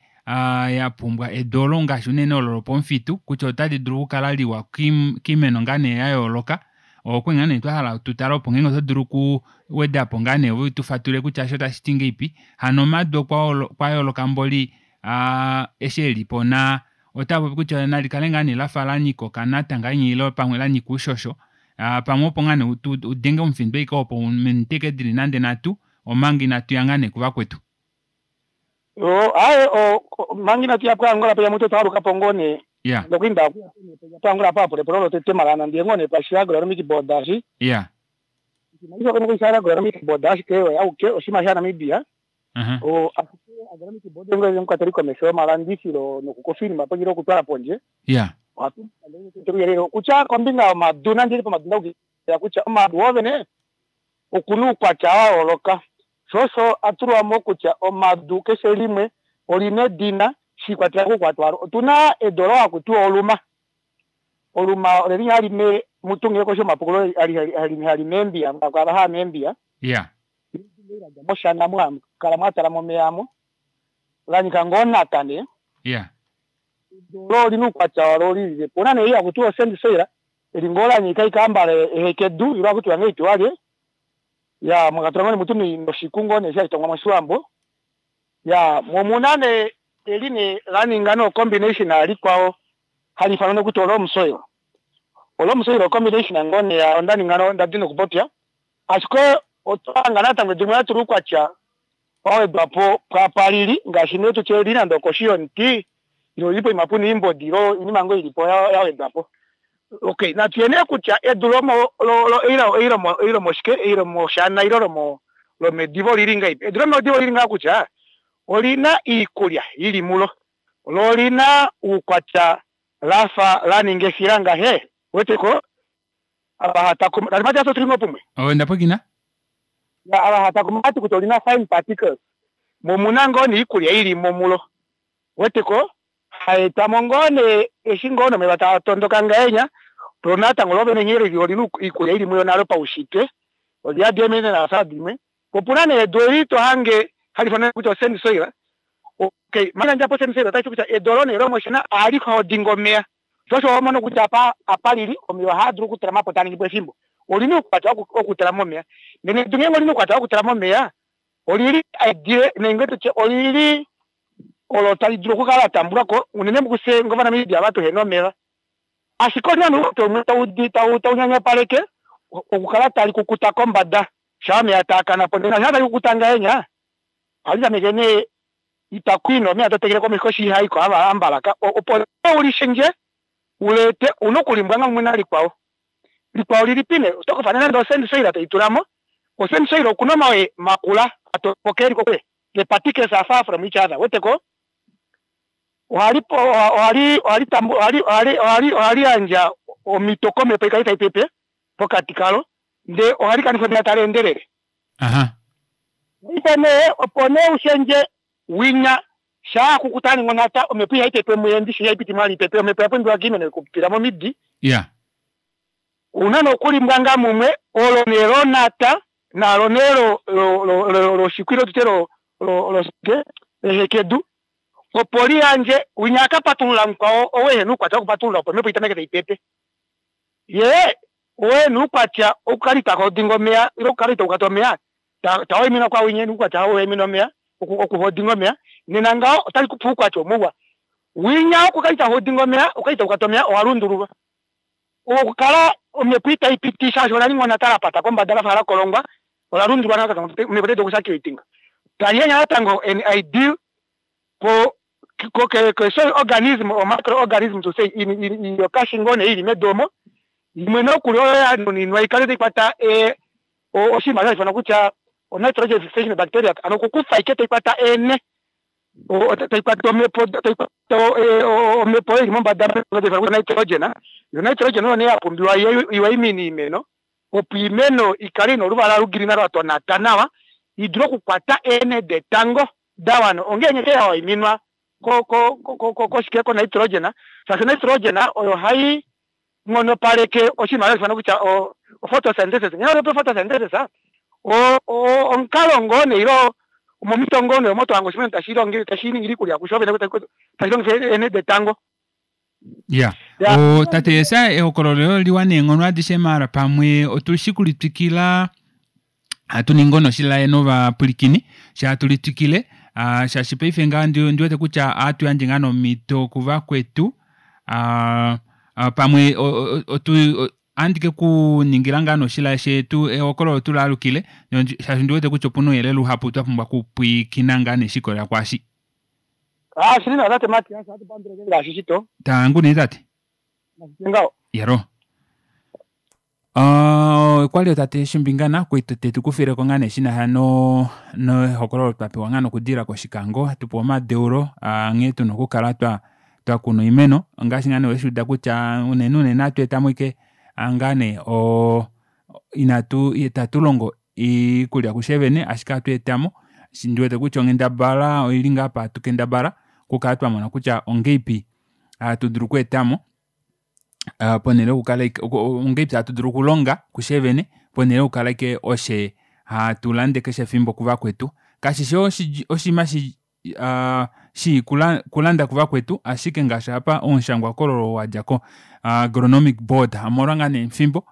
ya pumbwa edu olo ngaashi unene olo lopomufitu kutya otali dulu okukala liwa kiimeno ngaa nee ya yooloka. Okwe ngaa nee twahala tutale opo ngeenge oto dulu okuwedapo ngaa nee ove tufatulule kutya eshi otashiti ngahelipi. Hano omadu okwa yooloka mboli eshi elipo na otapopi kutya nalikale ngaa nee lafa lanyika okanata ngahenya ile pamwe lanyika oushosho. Pamwe opo ngaa nee udenge omufindo ashike opo minute ashike dili nande nhatu omanga inatuya ngaa nee kuvakwetu. Aaye manga inatuya poAngola peya mutu otwaalukapo ngoo nee. Ya. Nokuinda poAngola apa apulepulo lotete malana ndiye ngoo nee pashi Agronomic Board ashi. Ya. Agronomic Board ashike oyo auke oshinima shaNamibia. Ashike Agronomic Board ngoo omukwateli komesho yomalandifilo nokukofilima pondje okutwala pondje. Ya. Ohatu kutya kombinga yomadu nande pomadu ndaukila kutya omadu woovene okuna oukwatya wa yooloka. Sho osho atulwamo kutya omadu keshe limwe olina edina shiikwatelela koukwatya walo. Otuna edu olo hakutiwa oluma. Oluma oleli hali me mutungile koshi yomapukulo hali meembiya kwava haa meembiya. Ya. Moshana mwa kala mwatala momeya amo. Lanyika ngoo nata nee. Ya. Olo olina oukwatya walo lilile po. Opuna nee ei hakutiwa osand soil eli ngoo lanyika ikambala ehekedu ilo hakutiwa ngahelipi walye. Ya mwakatula ngoo nee mutu noshiku ngoo nee eshi hashi tongwa moshiwambo. Ya momuna nee eli nee laninga no combination alikwao hali ifanwa nokutya olomu soil. Olomu soil combination ngoo nee onda ninga ndadi nokupopya. Ashike otwahanga natango edu limwe latulwa oukwatya wawedwapo pwapalili ngaashi nee tutye eli nande okoshi yomuti ile oli poima puna oimbodi ile oinima ngoo ilipo yawedwapo. Okay, natuye nee kutya edu lomo ei lomoshike ei lomoshana ile lomedivo olili ngahelipi. Edu lomedivo olili ngaha kutya olina iikulya ili mulo lo olina uukwatya lafa laninga efila ngahe weteko ava hatakuma tate Matias otuli ngoo pumwe. Ndapwiikina. Ava hatakuma vati kutya olina fine particles momuna ngoo niikulya ilimo mulo weteko haetamo ngoo nee eshi ngoo nomeva taa tondoka ngahenya lo natango lovene nghee olina iikulya ili muyo nalo paushitwe oliyadi eeminerals dimwe. Opuna nee edu eli tohange hali ifanwa kutya osand soil. Okay, manga ndjapo osand soil otashi kutya edu olo nee lomoshana ohali holding omeya. Sho osho homono kutya apa lili omeya ohaa dulu okutalama po taningi po efimbo. Olina oukwatya okutalama omeya. Nene edu ngeenge olina oukwatya wokutalama omeya olili ideal nenge tutye olili olo tali dulu okukala latambulwako unene mukufye ngovanamibia ava tuhena omeva. Ashike olina nee oukwatya umwe taunyanyapaleke okukala tali kukuta kombada shaa omeya taakana po. Ndele shaa tali kukuta ngahenya ohali tameke nee itakwina omeya totekele komesho koshi ihaiko ava ambalaka opo nee ulishendje ulete una okulimbwanga mumwe nalikwao. Likwao lilipi nee otokufa nande osand soil toitulamo. Osand soil okuna omawe makula atopoka eli kokule. The particles are far from each other. Weteko? Ohali ohali ohali tambu ohali ohali ohali ohali yandja omhito komhepo ikale tai pepe pokati kalo ndee ohali kanifa omeya tali endelele. Paife nee opo nee ushendje winya shaa akukuta aninga onhata omhepo ihai pepe muye ndishi ihai piti mwali ipepe omhepo oya pumbiwa koimeno okupitila momidi. Ouna nee okulimbwanga mumwe olo nee lonhata nalo nee lo lo lo loshikwilo tutye lo lo loshike lehekedu opo liyandje winya akapatulula mukwao ou ehena oukwatya wokupatulula opo omhepo itameke taipepe yee ou ena oukwatya okukala itahodinga omeya ile okukala itaukata omeya tawaiminwa kwawinya ena oukwatya hauwaimina omeya okuhodinga omeya nena ngaho otali kupe oukwatya omuwa winya wokukala itahodinga omeya okukala itaukata omeya owa lundululwa okukala omhepo itaipiti shaashi ola ninga onhata lapata kombada lafa lakolongwa ola lundululwa natango omhepo otai dulu okusakilatinga tali yandje natango an ideal ko ko ko soil organism or microorganism to say yokashi ngoo nee ili medu omo imwe nokuli oyo ya nuninwa ikale taikwata oshinima hashi ifanwa kutya o nitrogen fixation bacteria ano okukufa ashike taikwata eene taikwata omhepo taikwata omhepo oyo ili mombada kutya nitrogen yo nitrogen oyo nee yapumbiwa iwaimine oimeno opo oimeno ikale ina oluvala lugreen lwatonata nawa idule okukwata eenhe detango dawana ongeenge yawaiminwa koshike ko nitrogen shaashi nitrogen oyo hai nghonopaleke oshinima hashi ifanwa kutya o photosynthesis ngee photosynthesis omukalo ngoo nee ile momito ngoo nee omo tohange oshimeno tashi tashi ningi iikulya kusho vene tashi longifa eenhe detango. Ya tate Jesaya ehokololo liwa neenghono adishe maala pamwe otushi kulitwikila hatu ningi onoshilaye novapwilikini sha hatu litwikile shaashi paife ngaa ndiwete kutya ohatu yandje ngaa nomhito kuvakwetu pamwe ohandi ke kuningila ngaa noshilaye shetu ehokololo tulaalukile shaashi ndiwete kutya opuna ouyelele uhapu twa pumbwa okupwiikina ngaa neshikolela kwaashi. Shili nawa tate Matias, ohatu pandula ngaashi shito. Tangu nee tate. Ngaho. Yero. Okwali tate Shimbingana kwali tetu kufileko ngaa nee shinasha nehokololo twa pewa ngaa nokudilila kOshikango tupewa omadeulo nghee tuna okukala twakuna oimeno ngaashi ngaa nee weshuuda kutya unene unene ohatu etamo ashike ngaa nee inatu itatu longo iikulya kushevene ashike ohatu etamo ndiwete kutya onghendabala oili ngaa apa hatu kendabala okukala twamona kutya ongeipi hatu dulu okweetamo ponhele yokukala ongeipi hatu dulu okulonga kushevene ponhele yokukala ashike oshe hatu lande keshe efimbo kuvakwetu kashishi oshinima shii kulanda kuvakwetu ashike ngaashi apa omushangwahokololo wadja ko agronomic board omolwa ngaa nee efimbo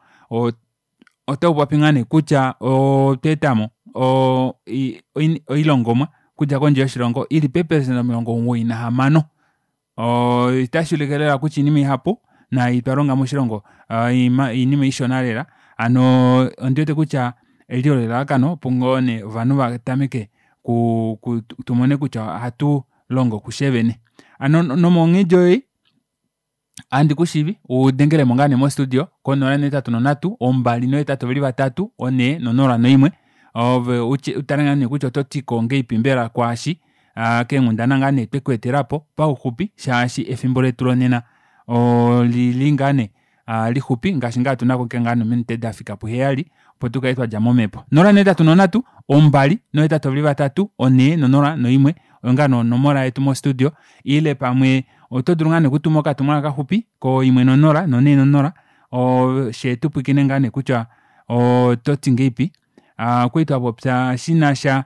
otaupopi ngaa nee kutya otwa etamo oilongomwa okudja kondje yoshilongo ili peepelesenda 96. Otashi ulike lela kutya oinima ihapu naai twalonga moshilongo oinima ishona lela hano ondiwete kutya eli olo elalakano opo ngoo nee ovanhu vatameke tumone kutya ohatu longo kushevene. Hano nomonghedi oyo ohandi kushivi udengelemo ngaa nee mo studio ko 083 283 401 ove utale ngaa nee kutya ototiko ngahelipi mbela kwaashi keenghundana ngaa nee twekweetelapo pauxupi shaashi efimbo letu lonena olili ngaa nee lixupi ngaashi ngaa tunako ngaa nominute dafika puheyali opo tukale twadja momhepo. 083 283 401 oyo ngaa nee onomola yetu mo studio ile pamwe oto dulu ngaa nee okutuma okatumwalaka kaxupi ko 1 0 4 shee tupwiikine ngaa nee kutya ototi ngahelipi. Okwali twapopya shinasha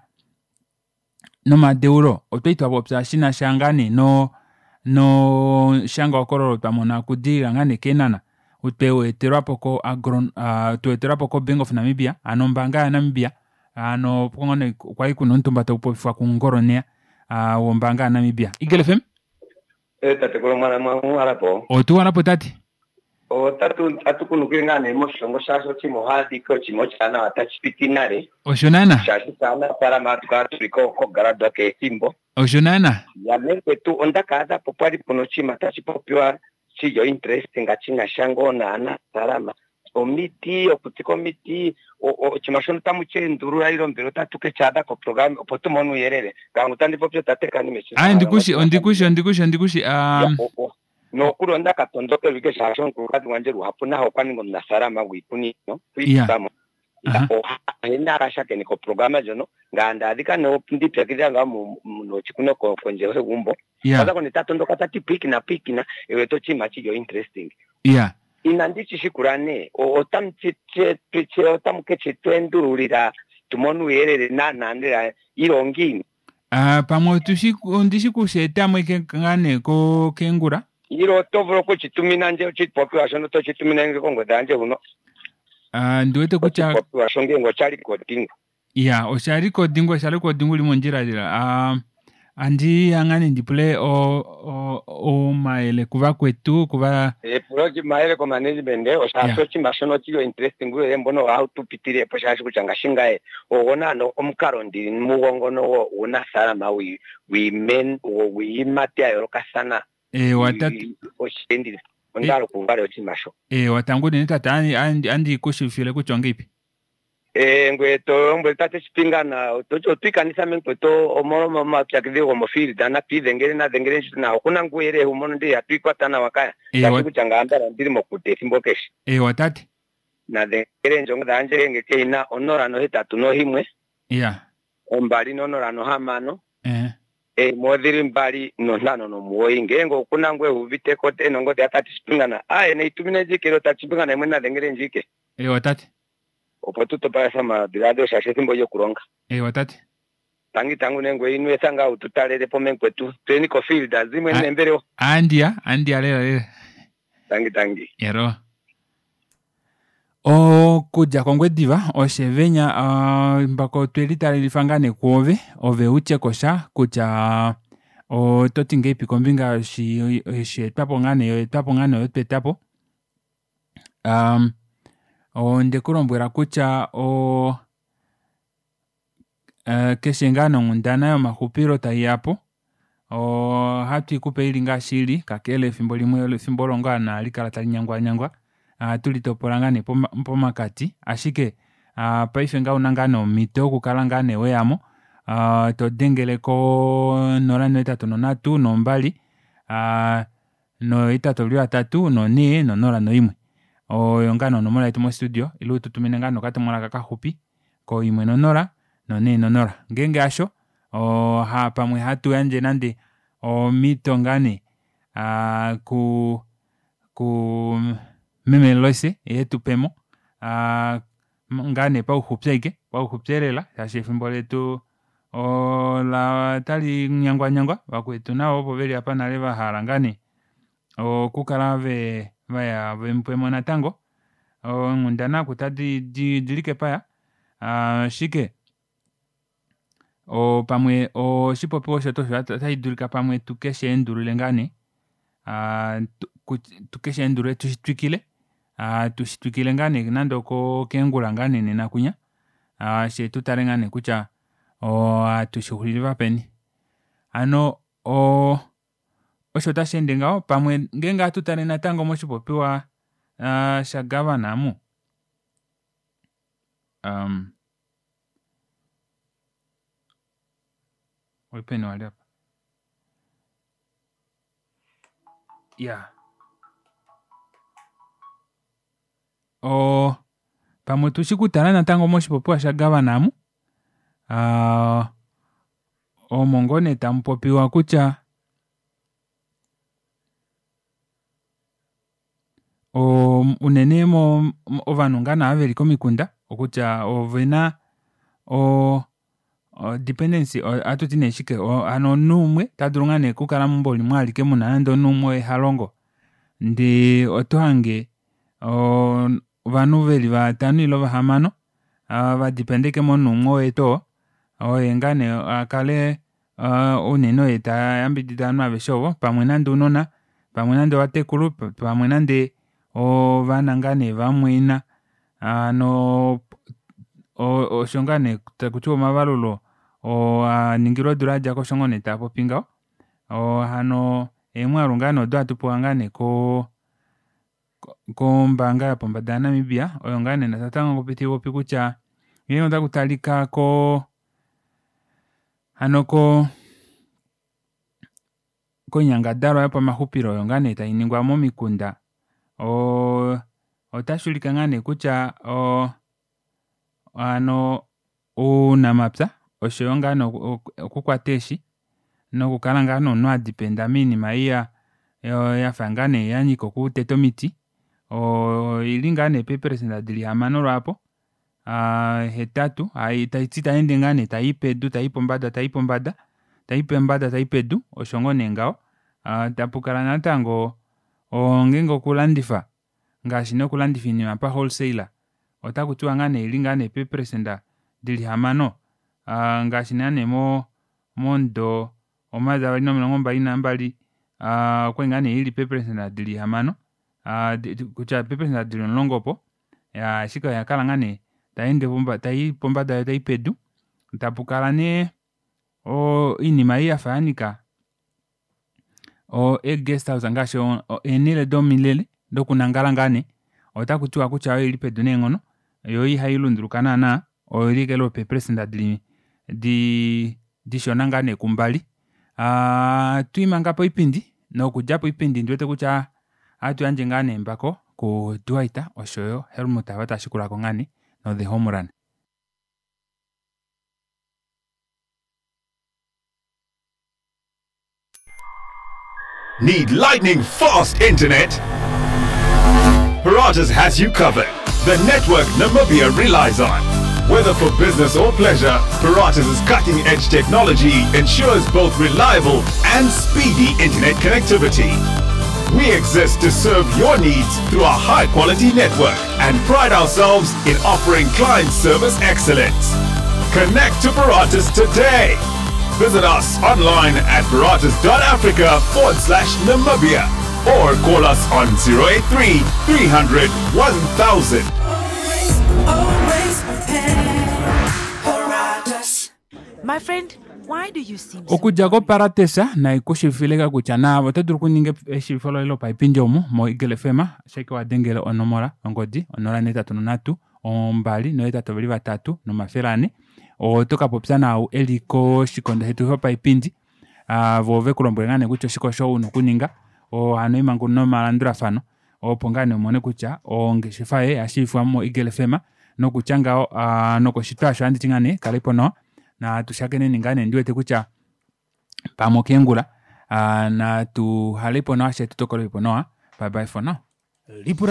nomadeulo otwali twapopya shinasha ngaa nee nomushangwahokololo twamona okudilila ngaa nee keenhana tweetelwapo ko tweetelwapo ko Bank of Namibia hano ombaanga ya Namibia hano okwali kuna omutumba taupopifwa kungoloneya wombaanga ya Namibia. Eagle FM. Tatekulu mwalapo. Otuwalapo tate. Otatu kunukile ngaa nee moshilongo shaashi oshinima ohaadhika oshinima oshaanawa tashi piti nale. Osho naana. Shaashi aanafaalama hatu kala tuli kogaladwa kehe ethimbo. Osho naana. Yamekwetu onda ka adha po pwali puna oshinima tashi popiwa shili interesting shina sha ngoo naanafaalama. Omiti, okutsika omiti, oshinima shono tamu shi endulula ile mbela otatu ke shi adha koprograma opo tu mone uuyelele. Ngame otandi popi otate Kanime Aye, ndikushi, ondikushi, ondikushi, ondikushi. Nokuli onda ka tondokelwa ike shaashi omukulukadhi gwandje luhapu nahe okwa ninga omunafaalama gwiikunino, okwiitulamo. Ohe na shakeneka oprograma ndjono, ngame nda adhika nee ndi ipyakidhila ngaa nochikuno kondje yegumbo. Okwa zako nee ta tondoka ta ti pwiikina pwiikina, e wete oshinima shili interesting. Inandi shi shikula nee, otamu shi otamu ke shi tu endululila tu mone uuyelele naanaa lela ile ongiini? Pamwe otushi ondi shi ku shi etamo ike ngaa nee ko kengula. Ile oto vulu oku shi tumina ndje oshipopiwa shono to shi tumine ndje kongodhi yandje huno. Ndi wete kutya Oshipopiwa sho ngenge osha likodingwa. Ya, osha likodingwa, osha likodingwa uli mondjila lela. Andi ya ngaa nee ndi pule omayele kuvakwetu, kuva Epulo lyomayele komanagement, osha oshinima shono oshili interesting uuyelele mbono ohawu tu pitile po shaashi kutya ngashingaye ogo naana omukalo ndili mugo ngono guunafaalama wiiyimati ya yoolokathana. Eewa tate. Oshendile. Onda hala okuuva oshinima sho. Eewa tango unene tate andi ku shivifile kutya ongeipi. Ngoye to lombwele tate Shipingana, otwa ikanitha mekweto omolwa omaupyakadhi gomofield, natu idhengele na dhengele ndje nawa. Okuna ngu uuyelele wu mono ndele ihatu ikwata nawa kaya. Shaashi kutya ngame ambala ondili mokuti ethimbo keshe. Eewa tate. Na dhengele ndje ongodhi yandje ngenge keyina 081. 206. 1 odhili 2 59. Ngenge okuna ngu euvite ko ena ongodhi ya tate Shipingana, aye neyi tumine ndje ike, tate Shipingana yemwene na dhengele ndje ike. Eewa tate. Opo tu topalese omadhiladhilo shaashi ethimbo lyokulonga. Eewa tate. Tangi tangu nee ngoye ino etha ngaa wu tu talele po mekwetu. Tuyeni kofield zimwe nembelewa. Andiya, andiya lela lela. Tangi tangi. Yero. Okudja kOngwediva oshevenya mbako tweli talelifa ngaa nee kuove, ove utye kosha kutya oto ti ngeipi kombinga yoshietwapo ngaa nee, yoetwapo ngaa nee oyo twetapo. Onde ku lombwela kutya keshe ngaa nonghundana yomaxupilo taiyapo, ohatu ikupe ili ngaashi ili, kakele efimbo limwe efimbo olo ngaa nee halikala tali nyangwanyangwa, ohatu litopola ngaa nee pomakati, ashike paife ngaha ouna ngaa nee omhito yokukala ngaa nee weyamo, todengele ko 083 2 883 4 01. Oyo ngaa nee onomola yetu mostudio, ile ututumine ngaa nee okatumwalaka kaxupi ko 1 0 4 0. Ngeenge hasho, pamwe hatu yandje nande omhito ngaa nee ku meme Loise yee etupemo ngaa nee pauxupi ashike, pauxupi elela shaashi efimbo letu ola otali nyangwanyangwa, vakwetu navo opo veli aapa nale vahala ngaa nee okukala vaya vemupemo natango. Eenghundana oku odili kepaya, ashike pamwe oshipopiwa osho tuu osho ota shidulika pamwe tuke sheendulule ngaa nee, tukesheendulule tushi twikile, tushi twikile ngaa nee nande okeengula ngaa nee nena kwinya, fyee tutale ngaa nee kutya ohatu shixulifa peni. Hano osho tasheende ngaho pamwe ngeenge ohatu tale natango moshipopiwa sha governor omu oulipeni wali apa iyaa pamwe otushi kutala natango moshipopiwa sha governor amu, omo ngoo nee tamupopiwa kutya unene ovanhu ngaa nee ava veli komikunda kutya ovena o dependency ohatuti nee shike hano omunhu umwe otadulu ngoo nee okukala meumbo limwe alike muna nande omunhu umwe oye halongo ndee otohange ovanhu veli vatano ile vahamano vadependa ashike momunhu umwe oye tuu oo, oye ngaa nee akale unene oye tayambidida ovanhu aveshe ovo, pamwe nande ounona, pamwe nande ovatekulu, pamwe nande ovana ngaa nee vamumwaina, hano osho ngaa nee takutiwa omavalulo oo aningilwe odula yadjako osho ngoo nee taapopi ngaho, hano eemwaalu ngaa nee odo hatu pewa ngaa nee koo. Kombaanga yopombada ya Namibia oyo ngaa nee natango taipopi kutya ngeenge ota kutalika koo hano koo koinyangadalwa yopamaxupilo oyo ngaa nee tainingwa momikunda oo otashuulike ngaa nee kutya oo hano ounamapya oshoyo ngaa nee okukwata eeshi nokukala ngaa nee omunhu adependa moinima ei yafa ngaa nee yanyika okuteta omiti oili ngaa nee peepelecenta dili hamano lwaapo hetatu taiti tayeende ngaa nee tayii pedu tayi pombada tayi pombada tayi pombada tayi pedu osho ngoo nee ngaho tapukala natango ngeenge okulandifa ngaashi nee okulandifa oinima pa wholesale otakutiwa ngaa nee oili ngaa nee peepelecenta dili hamano ngaashi naana momudo 2022 okwali ngaa nee ili peepelecenta dili hamano kutya peepelecenta dili omulongo opo iyaa ashike oyakala ngaa nee tayii pombada yoo tayi pedu tapukala nee oinima ei yafa yanyika ee guest house ngaashi eenele domilele dokunangala ngaa nee otakutiwa kutya oili pedu neenghono yoo ihailunduluka naana oili ashike lwopeepelecenta dishona ngaa nee kumbali aatwii manga poipindi nokudja poipindi ondiwete kutya ohatuyandje ngaa nee embako ku Duat oshoyo Helmut ava taashikulako ngaa nee no the homerun. Need lightning fast internet? Paratus has you covered. The network Namibia relies on. Whether for business or pleasure, Paratus' cutting edge technology ensures both reliable and speedy internet connectivity. We exist to serve your needs through our high quality network and pride ourselves in offering client service excellence. Connect to Paratus today. Visit us online at paratus.africa forward slash Namibia or call us on 083 300 1000. Always prepared. My friend, why do you seem so Okudja koparatesa naikushivifileka kutya naave oto dulu okuninga eshiivifo loye lopaipindi omu mo Eagle FM ashike wadengele onomola yongodi 083 283 400 otokapopya naau eli koshikondo shetu shopaipindi voo vekulombwele ngaa nee kutya oshike osho una okuninga hano oimhango nomalandulafano opo ngaa nee umone kutya ongeshefa yoye oyashiivifwa mo eagle fm nokutya ngaho nokoshitwa aasho ohanditi ngaa nee kalaipo nawa natu shakeneni ngaa nee ndiwete kutya pamwe okeengula natu uhalepo nawa fyee tutokolepo nawa bye bye for now. Lipula